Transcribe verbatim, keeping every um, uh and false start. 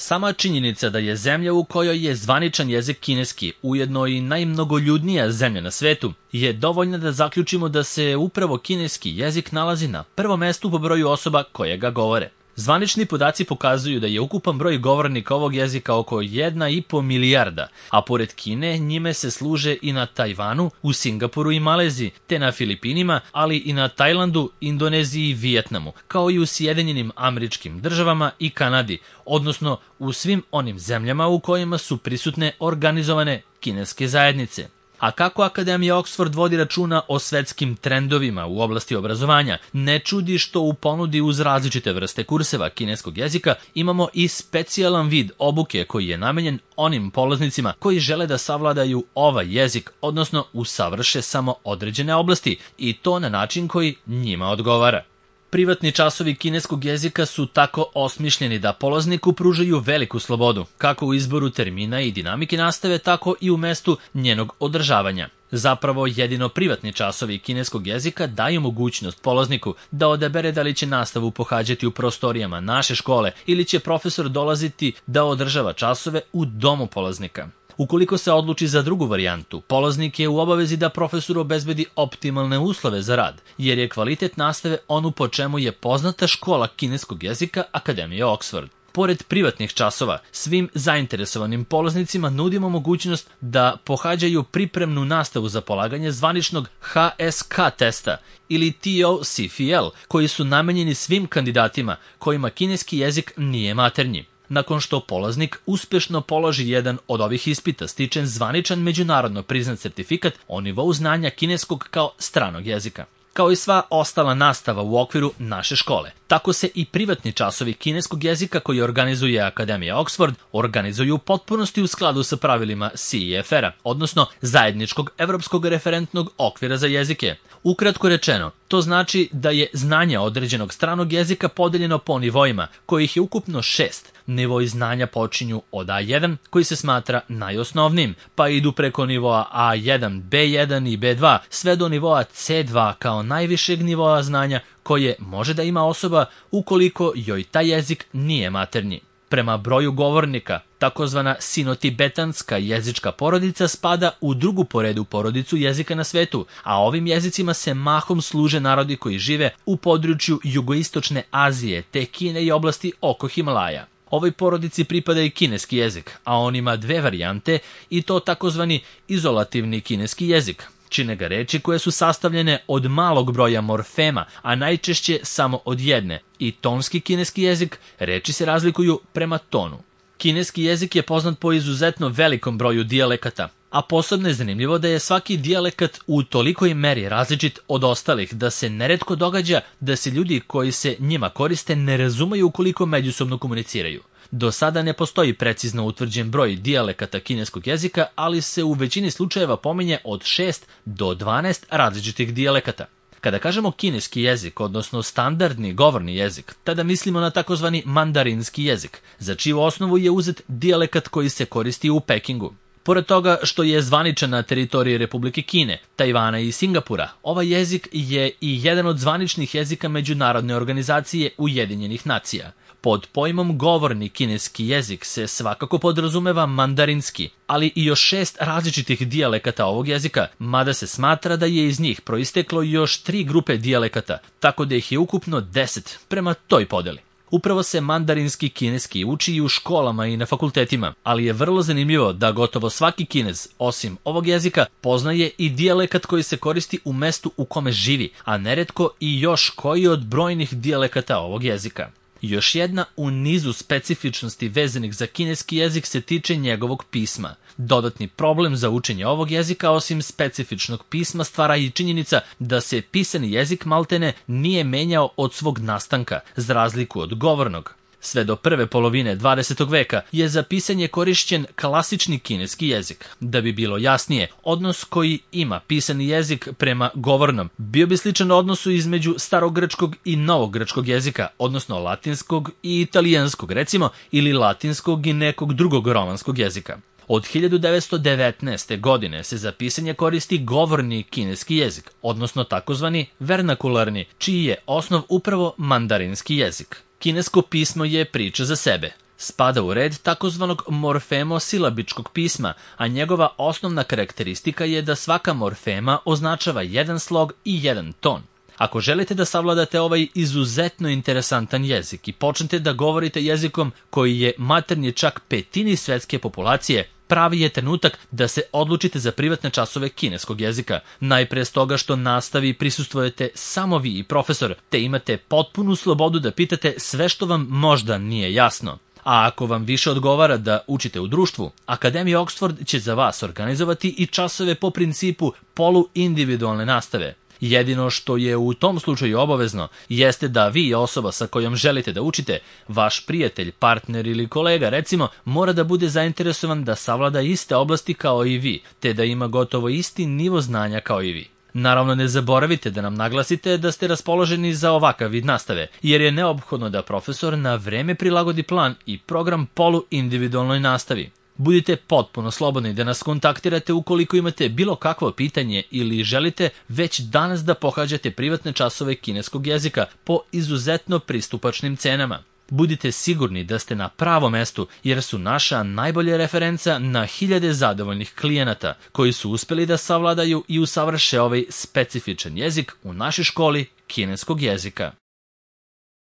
Sama činjenica da je zemlja u kojoj je zvaničan jezik kineski, ujedno i najmnogoljudnija zemlja na svetu, je dovoljna da zaključimo da se upravo kineski jezik nalazi na prvom mestu po broju osoba koje ga govore. Zvanični podaci pokazuju da je ukupan broj govornika ovog jezika oko jedna i po milijarda, a pored Kine njime se služe i na Tajvanu, u Singapuru i Maleziji, te na Filipinima, ali i na Tajlandu, Indoneziji i Vijetnamu, kao i u Sjedinjenim Američkim Državama i Kanadi, odnosno u svim onim zemljama u kojima su prisutne organizovane kineske zajednice. A kako Akademija Oxford vodi računa o svetskim trendovima u oblasti obrazovanja, ne čudi što u ponudi uz različite vrste kurseva kineskog jezika imamo i specijalan vid obuke koji je namenjen onim polaznicima koji žele da savladaju ovaj jezik, odnosno usavrše samo određene oblasti i to na način koji njima odgovara. Privatni časovi kineskog jezika su tako osmišljeni da polazniku pružaju veliku slobodu, kako u izboru termina i dinamike nastave, tako i u mestu njenog održavanja. Zapravo, jedino privatni časovi kineskog jezika daju mogućnost polazniku da odabere da li će nastavu pohađati u prostorijama naše škole ili će profesor dolaziti da održava časove u domu polaznika. Ukoliko se odluči za drugu varijantu, polaznik je u obavezi da profesoru obezbedi optimalne uslove za rad, jer je kvalitet nastave onu po čemu je poznata škola kineskog jezika Akademije Oxford. Pored privatnih časova, svim zainteresovanim polaznicima nudimo mogućnost da pohađaju pripremnu nastavu za polaganje zvaničnog H S K testa ili T O C F L, koji su namenjeni svim kandidatima kojima kineski jezik nije maternji. Nakon što polaznik uspešno položi jedan od ovih ispita, stiče zvaničan međunarodno priznat sertifikat o nivou znanja kineskog kao stranog jezika. Kao i sva ostala nastava u okviru naše škole, tako se i privatni časovi kineskog jezika koji organizuje Akademija Oxford organizuju u potpunosti u skladu sa pravilima C E F R-a, odnosno Zajedničkog evropskog referentnog okvira za jezike. Ukratko rečeno, to znači da je znanje određenog stranog jezika podeljeno po nivoima, kojih je ukupno šest. Nivoi znanja počinju od A jedan, koji se smatra najosnovnijim, pa idu preko nivoa A jedan, B jedan i B dva, sve do nivoa C dva kao najvišeg nivoa znanja koje može da ima osoba ukoliko joj taj jezik nije maternji. Prema broju govornika, takozvana sino-tibetanska jezička porodica spada u drugu po redu porodicu jezika na svetu, a ovim jezicima se mahom služe narodi koji žive u području jugoistočne Azije te Kine i oblasti oko Himalaja. Ovoj porodici pripada i kineski jezik, a on ima dve varijante i to takozvani izolativni kineski jezik. Čine ga reči koje su sastavljene od malog broja morfema, a najčešće samo od jedne, i tonski kineski jezik, reči se razlikuju prema tonu. Kineski jezik je poznat po izuzetno velikom broju dijalekata, a posebno je zanimljivo da je svaki dijalekat u tolikoj meri različit od ostalih da se neretko događa da se ljudi koji se njima koriste ne razumeju ukoliko međusobno komuniciraju. Do sada ne postoji precizno utvrđen broj dijalekata kineskog jezika, ali se u većini slučajeva pominje od šest do dvanaest različitih dijalekata. Kada kažemo kineski jezik, odnosno standardni govorni jezik, tada mislimo na takozvani mandarinski jezik, za čiju osnovu je uzet dijalekat koji se koristi u Pekingu. Pored toga što je zvaničan na teritoriji Republike Kine, Tajvana i Singapura, ovaj jezik je i jedan od zvaničnih jezika Međunarodne organizacije Ujedinjenih nacija. Pod pojmom govorni kineski jezik se svakako podrazumeva mandarinski, ali i još šest različitih dijalekata ovog jezika, mada se smatra da je iz njih proisteklo još tri grupe dijalekata, tako da ih je ukupno deset prema toj podeli. Upravo se mandarinski kineski uči i u školama i na fakultetima, ali je vrlo zanimljivo da gotovo svaki Kinez, osim ovog jezika, poznaje i dijalekat koji se koristi u mestu u kome živi, a neretko i još koji od brojnih dijalekata ovog jezika. Još jedna u nizu specifičnosti vezanih za kineski jezik se tiče njegovog pisma. Dodatni problem za učenje ovog jezika osim specifičnog pisma stvara i činjenica da se pisani jezik maltene nije menjao od svog nastanka, za razliku od govornog. Sve do prve polovine dvadesetog veka je za pisanje korišćen klasični kineski jezik. Da bi bilo jasnije, odnos koji ima pisani jezik prema govornom bio bi sličan odnosu između starogrčkog i novogrčkog jezika, odnosno latinskog i italijanskog recimo, ili latinskog i nekog drugog romanskog jezika. Od hiljadu devetsto devetnaeste. godine se za pisanje koristi govorni kineski jezik, odnosno takozvani vernakularni, čiji je osnov upravo mandarinski jezik. Kinesko pismo je priča za sebe. Spada u red takozvanog morfemosilabičkog pisma, a njegova osnovna karakteristika je da svaka morfema označava jedan slog i jedan ton. Ako želite da savladate ovaj izuzetno interesantan jezik i počnete da govorite jezikom koji je maternji čak petini svetske populacije, pravi je trenutak da se odlučite za privatne časove kineskog jezika. Najpre stoga što nastavi prisustvujete samo vi i profesor, te imate potpunu slobodu da pitate sve što vam možda nije jasno. A ako vam više odgovara da učite u društvu, Akademija Oxford će za vas organizovati i časove po principu poluindividualne nastave. Jedino što je u tom slučaju obavezno jeste da vi i osoba sa kojom želite da učite, vaš prijatelj, partner ili kolega recimo, mora da bude zainteresovan da savlada iste oblasti kao i vi, te da ima gotovo isti nivo znanja kao i vi. Naravno, ne zaboravite da nam naglasite da ste raspoloženi za ovakav vid nastave, jer je neophodno da profesor na vreme prilagodi plan i program poluindividualnoj nastavi. Budite potpuno slobodni da nas kontaktirate ukoliko imate bilo kakvo pitanje ili želite već danas da pohađate privatne časove kineskog jezika po izuzetno pristupačnim cenama. Budite sigurni da ste na pravom mestu, jer su naša najbolja referenca na hiljade zadovoljnih klijenata koji su uspeli da savladaju i usavrše ovaj specifičan jezik u našoj školi kineskog jezika.